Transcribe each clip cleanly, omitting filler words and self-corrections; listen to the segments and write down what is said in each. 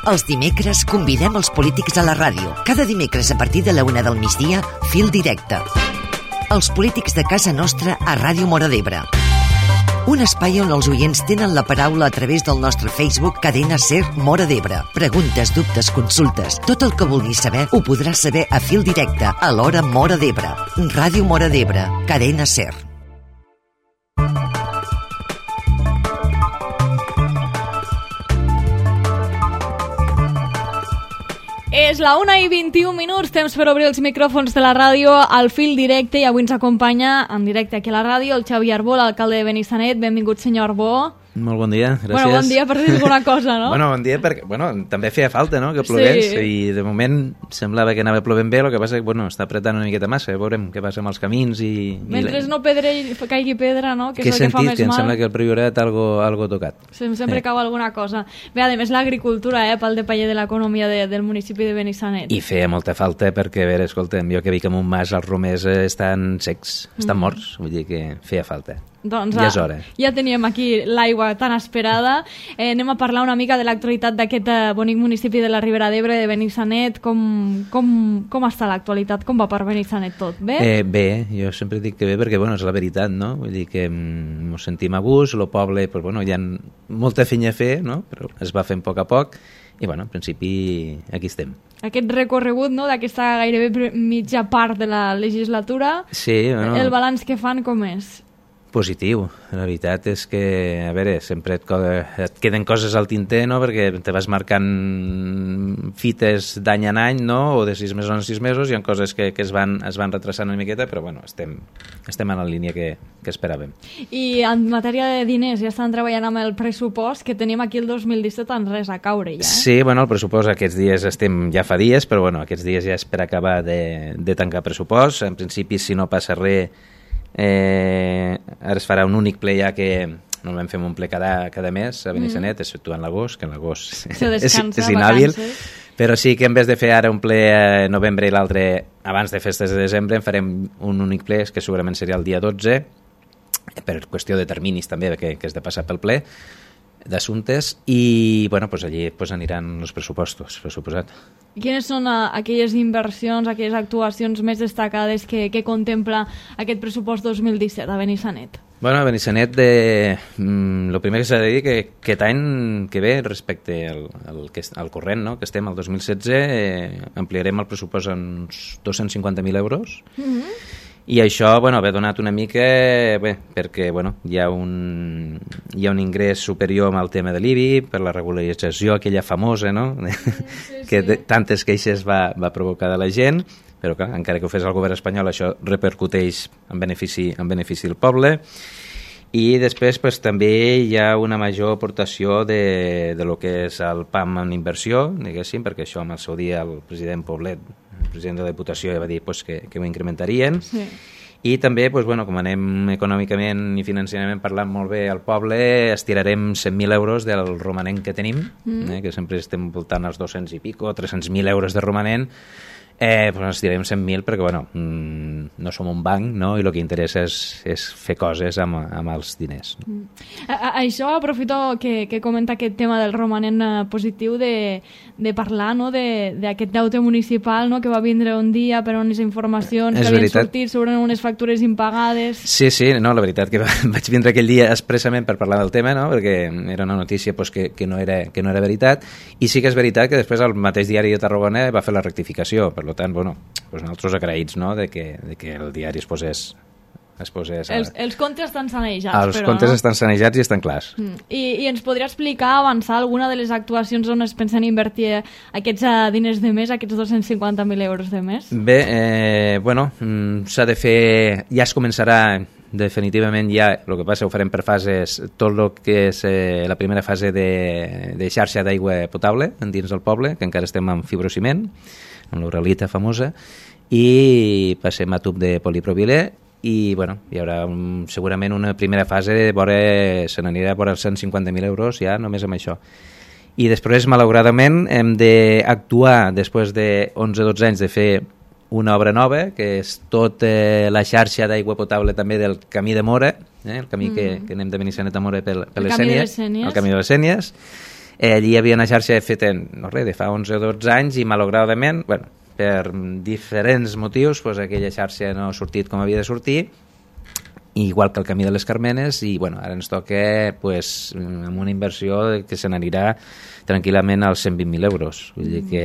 Els dimecres convidem els polítics a la ràdio. Cada dimecres a partir de la 1 del migdia, Fil Directe. Els polítics de casa nostra a Ràdio Móra d'Ebre. Un espai on els oients tenen la paraula a través del nostre Facebook Cadena SER Móra d'Ebre. Preguntes, dubtes, consultes, tot el que vulguis saber ho podràs saber a Fil Directe a l'hora Móra d'Ebre. Ràdio Móra d'Ebre, Cadena SER. És la 1:21, temps per obrir els micròfons de la ràdio al Fil Directe, i avui ens acompanya en directe aquí a la ràdio el Xavi Arbó, l'alcalde de Benissanet. Benvingut, senyor Arbó. Molt bon dia, gràcies. Bueno, bon dia per dir alguna cosa, no? Bon dia perquè, també feia falta, no?, que plogués, sí. I de moment semblava que anava plovent bé, el que passa que, està apretant una miqueta massa, veurem què passa amb els camins i... Mentre no caigui pedra, no?, que és el que fa més mal. Què he sentit? Que em sembla que el Priorat algo tocat. Sempre cau alguna cosa. Bé, a més, l'agricultura, pel depaller de l'economia del municipi de Benissanet. I feia molta falta perquè, a veure, escolta'm, jo que dic que en un mas els romers estan secs, estan morts, vull dir que feia falta. Doncs ja és hora. Ja teníem aquí l'aigua tan esperada. Anem a parlar una mica de l'actualitat d'aquest bonic municipi de la Ribera d'Ebre, de Benissanet. Com està l'actualitat? Com va per Benissanet tot? Bé? Bé, jo sempre dic que bé perquè, és la veritat, no? Vull dir que ens sentim a gust, el poble, hi ha molta feina a fer, no? Però es va fent a poc i, en principi, aquí estem. Aquest recorregut, no?, d'aquesta gairebé mitja part de la legislatura, sí, el balanç que fan com és? Positiu. La veritat és que, a veure, sempre et queden coses al tinter, no?, perquè te vas marcant fites d'any en any, no?, o de 6 mesos en 6 mesos, hi ha coses que es van retrasant una miqueta, però, estem en la línia que esperàvem. I en matèria de diners, ja estan treballant amb el pressupost, que tenim aquí el 2017 en res a caure, ja, Sí, el pressupost aquests dies ja fa dies, però, aquests dies ja és per acabar de tancar pressupost. En principi, si no passa res, ara es farà un únic ple ja que normalment fem un ple cada mes a Benissanet, exceptuant l'agost, que l'agost és inhàbil, però sí que en vez de fer ara un ple a novembre i l'altre abans de festes de desembre, en farem un únic ple que segurament seria el dia 12, per qüestió de terminis també que és de passar pel ple d'assumptes, i allí aniran els pressupostos, per suposat. Quines són aquelles inversions, aquelles actuacions més destacades que contempla aquest pressupost 2017 a Benissanet? A Benissanet, el primer que s'ha de dir que aquest any que ve, respecte al corrent, no?, que estem al 2016, ampliarem el pressupost en uns 250.000 euros, i això ha donat una mica perquè hi ha un ingrés superior amb el tema de l'IBI per la regularització aquella famosa, no? Que tantes queixes va provocar de la gent, però clar, encara que ho fes el govern espanyol, això repercuteix en benefici del poble. I després també hi ha una major aportació de lo que és el PAM en inversió, diguéssim, perquè això amb el seu dia el president Poblet, el president de la Diputació, ja va dir que ho incrementarien. Sí. I també, com anem econòmicament i financerament parlant molt bé al poble, estirarem 100.000 euros del romanent que tenim, que sempre estem voltant als 200 i pico, 300.000 euros de romanent. Estirarem 100.000 perquè no som un banc, no?, i el que interessa és fer coses amb els diners. Això aprofito que comenta aquest tema del romanent positiu de parlar, no?, d'aquest deute municipal, no?, que va vindre un dia per unes informacions que havien sortit sobre unes factures impagades. Sí, la veritat que vaig vindre aquell dia expressament per parlar del tema, no?, perquè era una notícia que no era veritat, i sí que és veritat que després el mateix diari de Tarragona va fer la rectificació, per tant, nosaltres agraïts, no?, de que el diari es posés... Els comptes estan sanejats, Els comptes estan sanejats i estan clars. I ens podria explicar, avançar alguna de les actuacions on es pensen invertir aquests diners de mes, aquests 250.000 euros de mes? Bé, s'ha de fer... Ja es començarà definitivament, el que passa ho farem per fases, tot el que és la primera fase de xarxa d'aigua potable dins del poble, que encara estem amb fibrociment, amb l'uralita famosa, i passem a tub de polipropilè, i hi haurà segurament una primera fase se n'anirà a vora els 150.000 euros ja només amb això. I després, malauradament, hem d'actuar després de 11-12 anys de fer una obra nova, que és tota la xarxa d'aigua potable també del Camí de Móra, el camí que anem de Benissanet a Móra per les Sénies, el Camí de les Sénies. Allí hi havia una xarxa feta, no res, de fa 11 o 12 anys i malauradament, bueno, per diferents motius, doncs aquella xarxa no ha sortit com havia de sortir, igual que el Camí de les Carmenes, i bueno, ara ens toca pues, amb una inversió que se n'anirà tranquil·lament als 120.000 euros. Vull dir que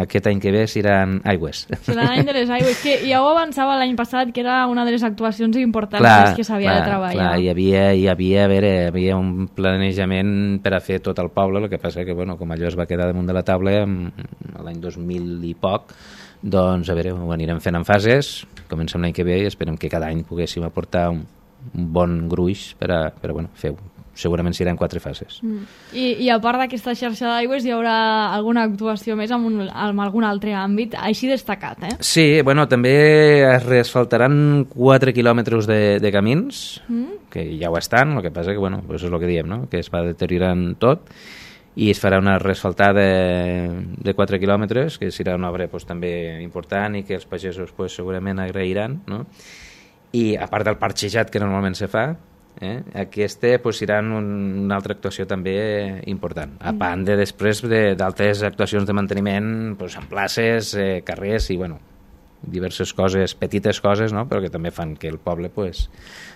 aquest any que ve seran aigües. Serà l'any de les aigües, que ja ho avançava l'any passat, que era una de les actuacions importants que s'havia de treballar. Clar, hi havia un planejament per a fer tot el poble, el que passa que bueno, com allò es va quedar damunt de la taula l'any 2000 i poc, doncs a veure, ho anirem fent en fases, comencem l'any que ve i esperem que cada any poguéssim aportar un bon gruix per a bueno, fer segurament seran 4 fases. I a part d'aquesta xarxa d'aigües hi haurà alguna actuació més en algun altre àmbit així destacat, eh? Sí, bueno, també es reasfaltaran 4 quilòmetres de camins, que ja ho estan, el que passa que, bueno, pues és el que diem, no? Que es va deteriorant tot, i es farà una reasfaltada de 4 quilòmetres, que serà una obra pues, també important i que els pagesos pues, segurament agrairan, no? I a part del parxejat que normalment se fa, aquesta pues, serà una altra actuació també important, a banda després d'altres actuacions de manteniment pues, en places, carrers i bueno, diverses coses, petites coses, no? Però que també fan que el poble pues,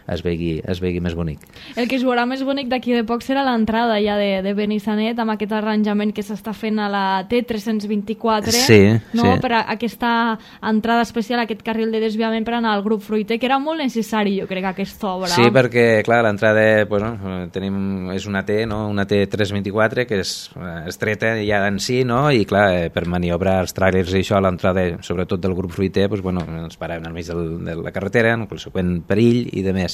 es vegi més bonic. El que es veurà més bonic d'aquí de poc serà l'entrada ja de Benissanet, amb aquest arranjament que s'està fent a la T324, no? Sí. Per a aquesta entrada especial, aquest carril de desviament per anar al grup fruiter, que era molt necessari, jo crec, aquesta obra. Sí, perquè, clar, l'entrada pues, no, és una T, no? Una T324, que és estreta ja en si, no? I, clar, per maniobrar els tràilers i això, l'entrada, sobretot del grup fruiter, pues, bueno, ens paràvem al mig de la carretera, en conseqüent perill i de més.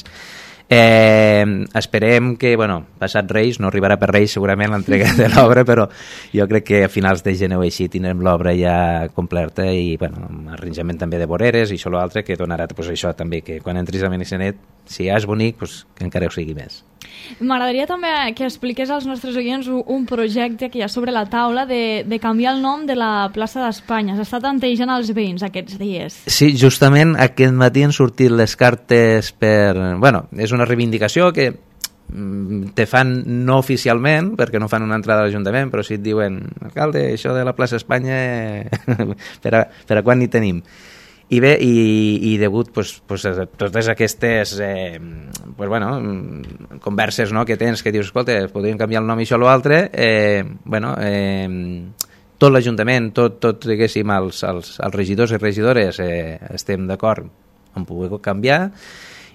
Esperem que, bueno, passat Reis, no arribarà per Reis segurament l'entrega de l'obra, però jo crec que a finals de gener o així tindrem l'obra ja completa i, bueno, amb arranjament també de voreres i això l'altre que donarà, pues, això també, que quan entris a Benissanet, si ja és bonic, pues, que encara ho sigui més. M'agradaria també que expliqués als nostres oients un projecte que hi ha sobre la taula de canviar el nom de la plaça d'Espanya. S'està tantejant als veïns aquests dies. Sí, justament aquest matí han sortit les cartes per... Bueno, és una reivindicació que te fan no oficialment, perquè no fan una entrada a l'Ajuntament, però sí et diuen, alcalde, això de la plaça Espanya, per a quan hi tenim? I bé, i degut pues, a totes aquestes pues, bueno, converses, no, que tens, que dius, escolta, podríem canviar el nom i això o l'altre, bueno, tot l'Ajuntament, tot diguéssim, els regidors i regidores estem d'acord en poder canviar,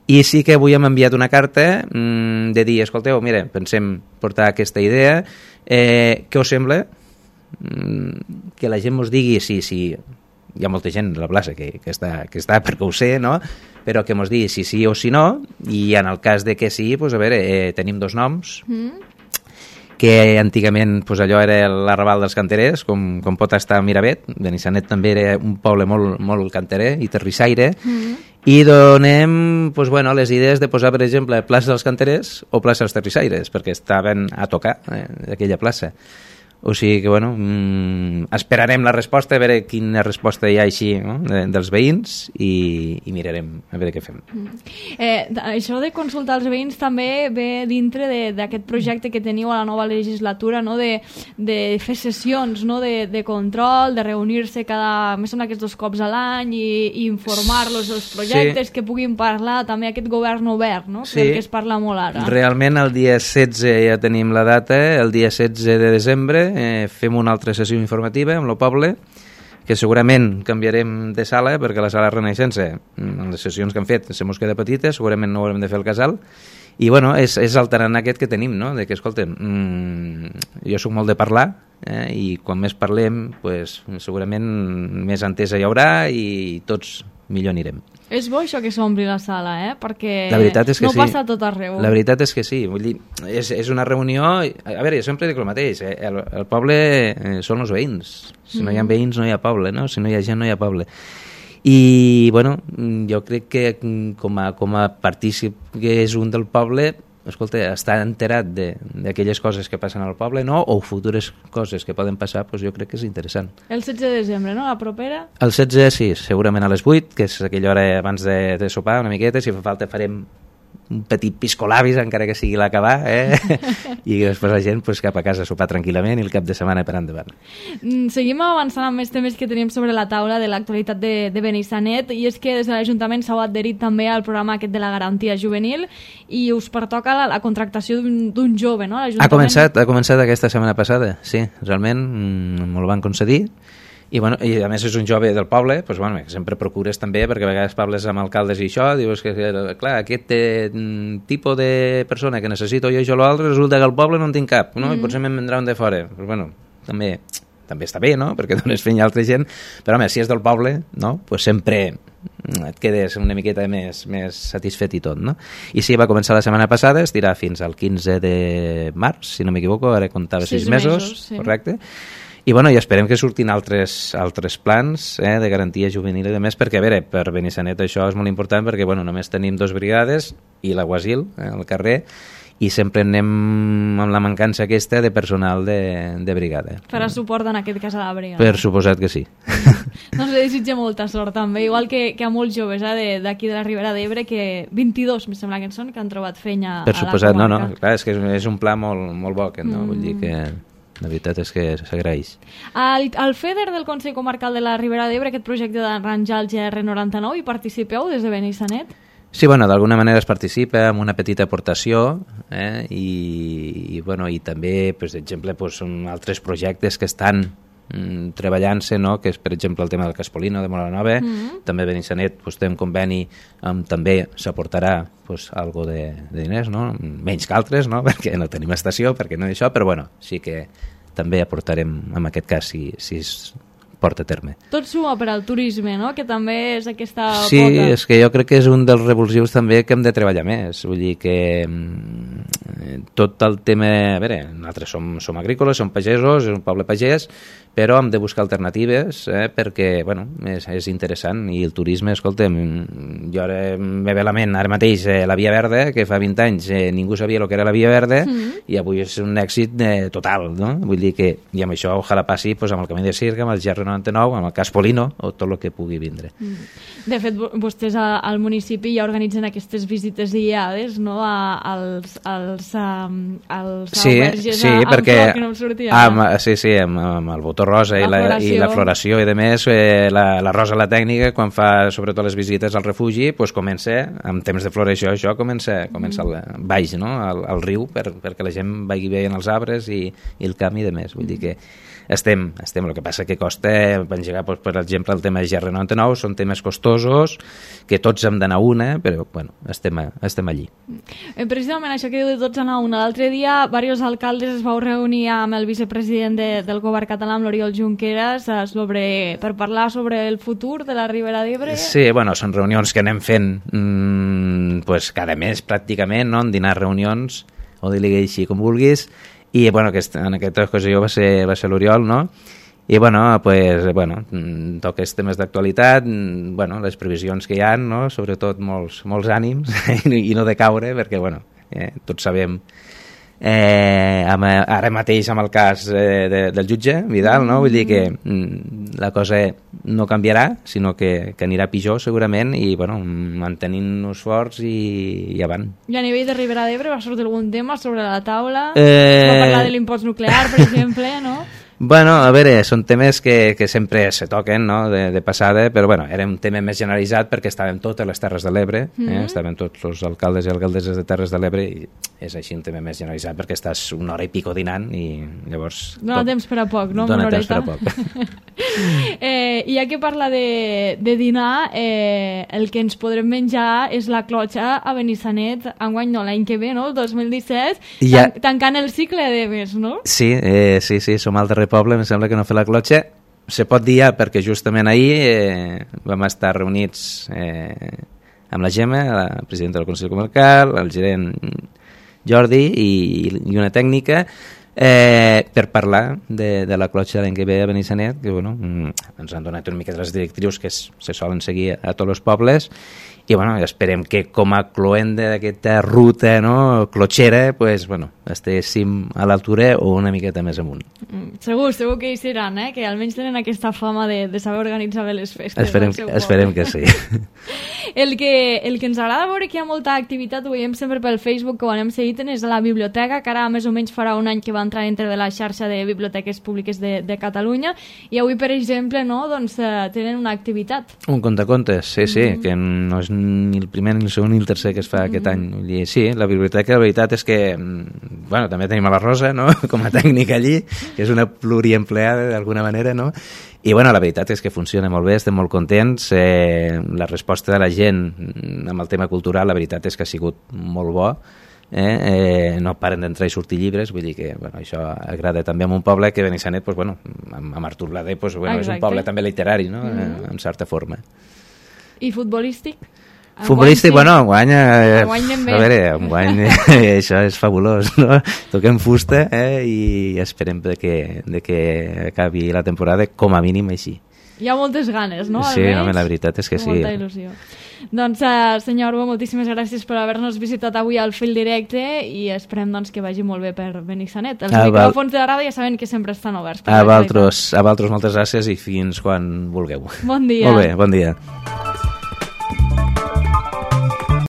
i sí que avui hem enviat una carta de dir, escolteu, mira, pensem portar aquesta idea, què us sembla? Que la gent ens digui si hi ha molta gent a la plaça que està perquè ho sé, no? Però que ens digui si sí o si no, i en el cas de que sí, pues, a veure, tenim 2 noms, que antigament pues, allò era l'arrabal dels canterers, com pot estar Miravet. Benissanet també era un poble molt, molt canterer i terrissaire, i donem pues, bueno, les idees de posar, per exemple, plaça dels canterers o plaça dels terrissaires, perquè estaven a tocar aquella plaça. O sigui que, bueno, esperarem la resposta, a veure quina resposta hi ha així, no? dels veïns i mirarem a veure què fem. Això de consultar els veïns també ve dintre d'aquest projecte que teniu a la nova legislatura, no? de fer sessions, no? de control, de reunir-se més o menys 2 cops a l'any i informar-los dels projectes, que puguin parlar també aquest govern obert, no? Sí. Que es parla molt ara. Realment el dia 16 ja tenim la data, el dia 16 de desembre fem una altra sessió informativa amb el poble, que segurament canviarem de sala, perquè la sala Renaixença, en les sessions que han fet, se mos queda petita, segurament no haurem de fer el casal, i bueno, és alternant aquest que tenim, no? De que, escolta'm, jo soc molt de parlar, i quan més parlem, pues, segurament més entesa hi haurà i tots millor anirem. És bo això que s'ompli la sala, perquè la veritat és que no passa a tot arreu. La veritat és que sí, vull dir, és una reunió... A veure, jo sempre dic el mateix, el poble són els veïns. Si no hi ha veïns no hi ha poble, no? Si no hi ha gent no hi ha poble. I, bueno, jo crec que com a partícip que és un del poble, escolta, està enterat d'aquelles coses que passen al poble, no? O futures coses que poden passar, doncs jo crec que és interessant. El 16 de desembre, no? La propera? El 16, sí, segurament a les 8, que és aquella hora abans de sopar una miqueta, si fa falta farem un petit piscolabis, encara que sigui l'acabar, i després la gent pues, cap a casa a sopar tranquil·lament i el cap de setmana per endavant. Seguim avançant amb més temes que tenim sobre la taula de l'actualitat de Benissanet, i és que des de l'Ajuntament s'heu adherit també al programa aquest de la garantia juvenil i us pertoca la contractació d'un jove, no? Ha començat aquesta setmana passada, sí, realment me'l van concedir. I, bueno, i a més és un jove del poble, doncs, bueno, sempre procures també, perquè a vegades parles amb alcaldes i això, dius que clar, aquest tipus de persona que necessito jo l'altre, resulta que al poble no en tinc cap, no? I potser me'n vendrà un de fora. Pues, bueno, també està bé, no? Perquè dones feina a altra gent, però home, si és del poble, no? Pues sempre et quedes una miqueta més satisfet i tot, no? I sí, va començar la setmana passada, estirà fins al 15 de març, si no m'equivoco, ara comptava 6 mesos, sí. Correcte? I, bueno, i esperem que surtin altres plans de garantia juvenil i de més, perquè, a veure, per Benissanet això és molt important, perquè, bueno, només tenim 2 brigades i la Guasil al carrer, i sempre anem amb la mancança aquesta de personal de brigada. Farà suport en aquest cas a la brigada. Per suposat que sí. Doncs li desitjo molta sort també, igual que a molts joves d'aquí de la Ribera d'Ebre, que 22, em sembla que en són, que han trobat feina a la comarca. Per suposat, clar, és que és un pla molt bo, no? Vull dir que la veritat és que s'agraeix. Al FEDER del Consell Comarcal de la Ribera d'Ebre, aquest projecte d'arranjar el GR99, hi participeu des de Benissanet? Sí, bueno, d'alguna manera es participa amb una petita aportació i també, per exemple, altres projectes que estan treballant-se, no? Que és, per exemple, el tema del Caspolino de Molanova, també Benissanet té un conveni també s'aportarà algo de diners, no? Menys que altres, no? Perquè no tenim estació, perquè no això, però bueno, sí que també aportarem en aquest cas si es porta a terme. Tot suma per al turisme, no? Que també és aquesta pota. Sí, és que jo crec que és un dels revulsius també que hem de treballar més. Vull dir que tot el tema... A veure, nosaltres som agrícoles, som pagesos, és un poble pagès, però hem de buscar alternatives perquè, bueno, és interessant. I el turisme, escolta'm, jo ara me ve a la ment ara mateix la Via Verda, que fa 20 anys ningú sabia el que era la Via Verda, i avui és un èxit total, no? Vull dir que, i amb això ojalà passi amb el Camí de Circ, amb el GR99, amb el Caspolino, o tot el que pugui vindre. De fet, vostès al municipi ja organitzen aquestes visites guiades, no?, als alberges, perquè que no em sortia. Amb el botó rosa i la floració i de més, la rosa la tècnica, quan fa sobretot les visites al refugi, comença, en temps de floració, això comença baix, no?, al riu, perquè la gent vagi veient els arbres i el camp i de més. Vull dir que estem. El que passa que costa engegar, per exemple, el tema de GR99, són temes costosos, que tots hem d'anar una, però bueno, estem allí. Precisament això que diu de tots anar una. L'altre dia, diversos alcaldes es vau reunir amb el vicepresident del govern català, amb l'Oriol Junqueras, per parlar sobre el futur de la Ribera d'Ebre. Sí, bueno, són reunions que anem fent cada mes, pràcticament, no? En dinar reunions, o dir-li així com vulguis, i bueno, en aquesta ocasió va ser l'Oriol, no? I toques temes d'actualitat, les previsions que hi ha, no? Sobretot molts ànims i no de caure, perquè tots sabem ara mateix amb el cas del jutge Vidal, no? Vull dir que la cosa no canviarà, sinó que anirà pitjor segurament, i mantenint-nos forts i avant. I a nivell de Ribera d'Ebre va sortir algun tema sobre la taula? Va parlar de l'impost nuclear, per exemple, no? Bueno, a veure, són temes que sempre se toquen, no?, de passada, però era un tema més generalitzat perquè estàvem totes les Terres de l'Ebre, estàvem tots els alcaldes i alcaldesses de Terres de l'Ebre, i és així un tema més generalitzat perquè estàs una hora i pico dinant i llavors... Dóna temps per a poc, no? Dóna temps per a poc. I ja que parla de dinar, el que ens podrem menjar és la clotxa a Benissanet, enguany no, l'any que ve, no?, el 2017, tancant el cicle de més, no? Sí, som al darrer poble, em sembla que no fer la clotxa. Se pot dir ja perquè justament ahir vam estar reunits amb la Gemma, la presidenta del Consell Comarcal, el gerent Jordi i una tècnica per parlar de la clotxa l'any que ve a Benissanet, que ens han donat una mica de les directrius que se solen seguir a tots els pobles, i bueno, esperem que com a cloenda d'aquesta ruta, no, clotxera, pues, bueno, estéssim a l'altura o una miqueta més amunt. Segur que hi seran, que almenys tenen aquesta fama de saber organitzar bé les festes. Esperem que sí. El que ens agrada veure que hi ha molta activitat, ho veiem sempre pel Facebook, que ho anem seguint, és a la biblioteca, que ara més o menys farà un any que va entrar dintre de la xarxa de biblioteques públiques de Catalunya, i avui, per exemple, no, doncs, tenen una activitat. Un contacontes, sí, que no és ni el primer, ni el segon, ni el tercer que es fa aquest any. Vull dir, sí, la biblioteca, la veritat és que, bueno, també tenim a la Rosa, no?, com a tècnica allí, que és una pluriempleada d'alguna manera, no?, i bueno, la veritat és que funciona molt bé, estem molt contents, la resposta de la gent amb el tema cultural, la veritat és que ha sigut molt bo, no paren d'entrar i sortir llibres, vull dir que bueno, això agrada també a un poble que Benissanet, pues, bueno, amb Artur Blader, pues, bueno, és un poble també literari, no?, en certa forma. I futbolístic? Futbolístic, bueno, enguany a veure, enguany això és fabulós, no? Toquem fusta i esperem que acabi la temporada com a mínim així. Hi ha moltes ganes, no? Sí, home, la veritat és que sí. Molta il·lusió. Doncs, senyor Arbó, moltíssimes gràcies per haver-nos visitat avui al Fil Directe i esperem doncs, que vagi molt bé per Benissanet. Els micròfons de la ràdio ja saben que sempre estan oberts. A vosaltres moltes gràcies i fins quan vulgueu. Bon dia. Molt bé, bon dia.